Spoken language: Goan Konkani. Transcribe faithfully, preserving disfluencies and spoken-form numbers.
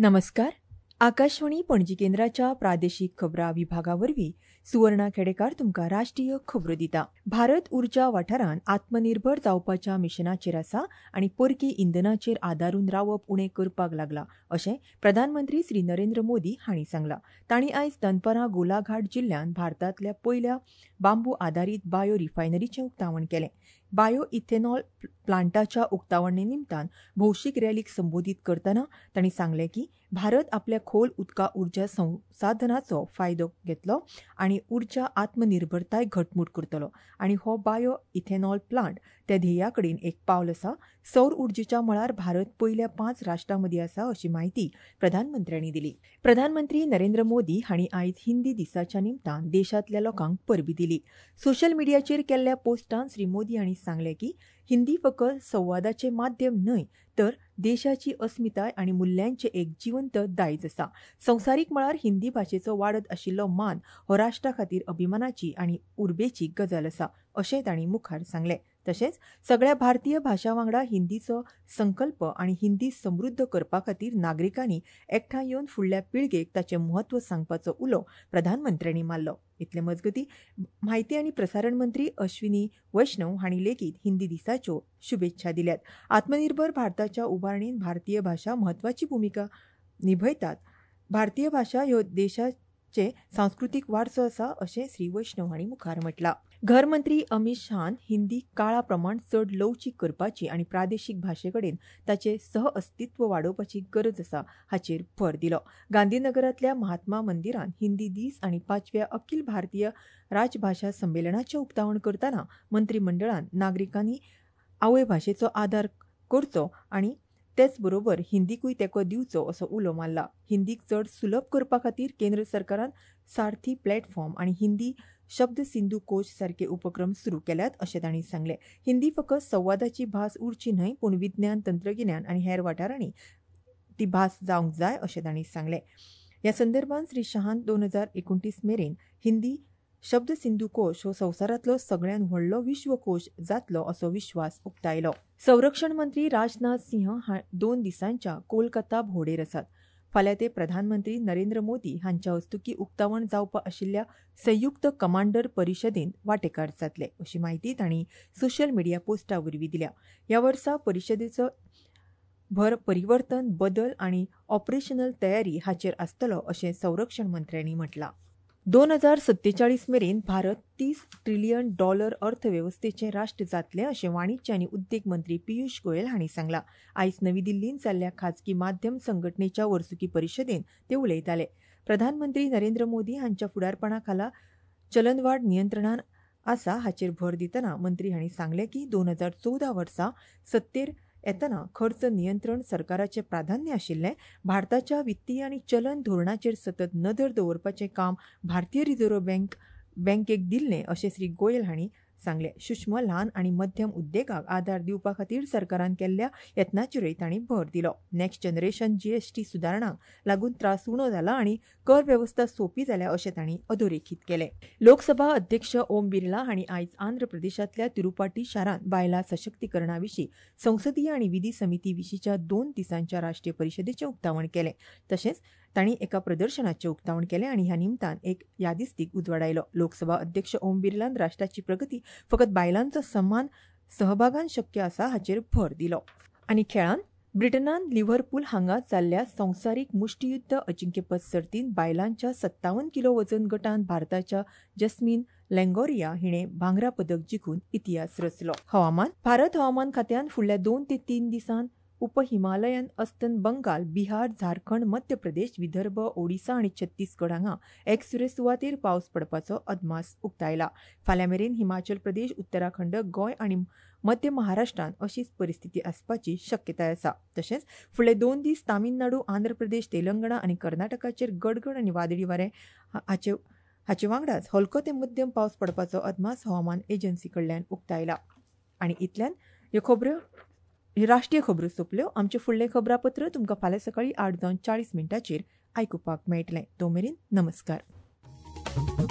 नमस्कार. आकाशवाणी पणजी केंद्राच्या प्रादेशीक खबरां विभागा वरवीं सुवर्णा खेडेकार तुमकां राष्ट्रीय खबरो दिता. भारत उर्जा वाठारांत आत्मनिर्भर जावपाच्या मिशनाचेर आसा आनी परकी इंधनाचेर आदारून रावप उणें करपाक लागला अशें प्रधानमंत्री श्री नरेंद्र मोदी हांणी सांगलां. तांणी आयज दनपरां गोलाघाट जिल्ल्यांत भारतांतल्या पयल्या बांबू आदारीत बायो रिफायनरीचें उक्तावण केलें. बायो इथेनॉल प्लांटाच्या उक्तावणे निमतान भौशीक रॅलीक संबोधीत करतना तांणी सांगलें की भारत आपल्या खोल उदका उर्जा संसाधनाचो फायदो घेतलो आनी उर्जा आत्मनिर्भरताय घटमूट करतलो आनी हो बायो इथेनॉल प्लांट त्या ध्येया कडेन एक पावल आसा. सौर उर्जेच्या मळार भारत पयल्या पांच राष्ट्रां मदीं आसा अशी म्हायती प्रधानमंत्र्यांनी दिली. प्रधानमंत्री नरेंद्र मोदी हांणी आयज हिंदी दिसाच्या निमतान देशांतल्या लोकांक परबीं दिली. सोशल मिडियाचेर केल्ल्या पोस्टांत श्री मोदी हांणी सांगलें की हिंदी फकत संवादाचें माध्यम न्हय तर देशाची अस्मिताय आनी मुल्यांचें एक जिवंत दायज आसा. संवसारीक मळार हिंदी भाशेचो वाडत आशिल्लो मान हो राष्ट्रा खातीर अभिमानाची आनी उर्बेची गजाल आसा अशें तांणी मुखार सांगलें. तशेंच सगळ्या भारतीय भाशां वांगडा हिंदीचो संकल्प आनी हिंदी समृद्ध करपा खातीर नागरिकांनी एकठांय येवन फुडल्या पिळगेक ताचें म्हत्व सांगपाचो उलो प्रधानमंत्र्यांनी मारलो. इतले मजगतीं म्हायती आनी प्रसारण मंत्री अश्विनी वैष्णव हांणी लेगीत हिंदी दिसाच्यो शुभेच्छा दिल्यात. आत्मनिर्भर भारताच्या उबारणींत भारतीय भाशा म्हत्वाची भुमिका निभयतात. भारतीय भाशा ह्यो देशाचे सांस्कृतीक वारसो आसा अशें श्री वैष्णव हांणी मुखार म्हटलां. घर मंत्री अमित शहान हिंदी काळा प्रमाण चड लवचीक करपाची आनी प्रादेशीक भाशे कडेन ताचें सहअस्तित्व वाडोवपाची गरज आसा हाचेर भर दिलो. गांधीनगरांतल्या महात्मा मंदिरान हिंदी दीस आनी पांचव्या अखिल भारतीय राजभाशा संमेलनाचें उक्तावण करतना मंत्रीमंडळान नागरिकांनी आवय भाशेचो आदार करचो आनी तेच बरोबर हिंदीकूय तेंको दिवचो असो उलो मारला. हिंदीक चड सुलभ करपा खातीर केंद्र सरकारान सारथी प्लॅटफॉर्म आनी हिंदी शब्द सिंधू कोश सारके उपक्रम सुरू केल्यात अशें तांणी सांगलें. हिंदी फकत संवादाची भास उरची न्हय पूण विज्ञान, तंत्रगिन्यान आनी हेर वाठारांनी ती भास जावंक जाय अशें तांणी सांगलें. ह्या संदर्भात श्री शहान दोन हजार एकुणतीस मेरेन हिंदी शब्द सिंधू कोश हो संवसारांतलो सगळ्यांत व्हडलो विश्वकोश जातलो असो विश्वास उक्तायलो. संरक्षण मंत्री राजनाथ सिंह दोन दिसांच्या कोलकाता भोंवडेर आसात. फाल्यां ते प्रधानमंत्री नरेंद्र मोदी हांच्या हस्तुकीं उक्तावण जावपा आशिल्ल्या संयुक्त कमांडर परिशदेंत वांटेकार जातले अशी म्हायती तांणी सोशल मिडिया पोस्टा वरवीं दिल्या. ह्या वर्सा परिशदेचो भर परिवर्तन, बदल आनी ऑपरेशनल तयारी हाचेर आसतलो अशें संरक्षण मंत्र्यांनी म्हटलां. दोन हजार सत्तेचाळीस मेरेन भारत तीस ट्रिलियन डॉलर अर्थवेवस्थेचें राष्ट्र जातलें अशें वाणिज्य आनी उद्देग मंत्री पियुष गोयल हांणी सांगलां. आयज नवी दिल्लींत जाल्ल्या खाजगी माध्यम संघटनेच्या वर्सुकी परिशदेंत ते उलयताले. प्रधानमंत्री नरेंद्र मोदी हांच्या फुडारपणा खाला चलनवाड नियंत्रणान आसा हाचेर भर दितना मंत्री हांणी सांगलें की दोन हजार चवदा वर्सा सत्तेर येतना खर्च नियंत्रण सरकाराचें प्राधान्य आशिल्लें. भारताच्या वित्तीय आनी चलन धोरणाचेर सतत नदर दवरपाचें काम भारतीय रिझर्व्ह बँक बँकेक दिल्लें अशें श्री गोयल हांणी सांगलें. सूक्ष्म, ल्हान आनी मध्यम उद्देगाक आदार दिवपा खातीर सरकारान केल्ल्या यत्नाचेरूय तांणी भर दिलो. नॅक्स्ट जनरेशन जीएसटी सुदारणांक लागून त्रास उणो जाला आनी कर वेवस्था सोंपी जाल्या अशें तांणी अधोरेखीत केलें. लोकसभा अध्यक्ष ओम बिर्ला हांणी आयज आंध्र प्रदेशांतल्या तिरुपाटी शारांत बायलां सशक्तीकरणा विशीं संसदीय आनी विधी समिती विशींच्या दोन दिसांच्या राष्ट्रीय परिशदेचें उक्तावण केलें. तशेंच तांणी एका प्रदर्शनाचें उक्तावण केलें आनी ह्या निमतान एक यादिस्तीक उजवाडायलो. लोकसभा अध्यक्ष ओम बिर्लान राष्ट्राची प्रगती फकत बायलांचो समान सहभागान शक्य आसा हाचेर भर दिलो. आनी खेळांत ब्रिटनान लिव्हरपूल हांगा जाल्ल्या संवसारीक मुष्टियुद्ध अजिंक्यपद सर्तींत बायलांच्या सत्तावन्न किलो वजन गटांत भारताच्या जस्मीन लँगोरिया हिणें भांगरा पदक जिखून इतिहास रचलो. हवामान. भारत हवामान खात्यान फुडल्या दोन ते तीन दिसांत उप हिमालयन अस्तंत बंगाल, बिहार, झारखंड, मध्य प्रदेश, विदर्भ, ओडिसा आनी छत्तीसगड हांगा एकसुरे सुवातेर पावस पडपाचो अदमास उक्तायला. फाल्यां मेरेन हिमाचल प्रदेश, उत्तराखंड, गोंय आनी मध्य महाराष्ट्रांत अशीच परिस्थिती आसपाची शक्यताय आसा. तशेंच फुडले दोन दीस तामिळनाडू, आंध्र प्रदेश, तेलंगणा आनी कर्नाटकाचेर गडगड आनी वादळी वारें हाचे हाचे वांगडाच हलको ते मध्यम पावस पडपाचो अदमास हवामान एजन्सी कडल्यान उक्तायला. आनी इतल्यान ह्यो खबरो ह्यो राष्ट्रीय खबरो सोंपल्यो. आमचें फुडलें खबरापत्र तुमकां फाल्यां सकाळीं आठ जावन चाळीस मिनटांचेर आयकुपाक मेळटलें. तो मेरेन नमस्कार.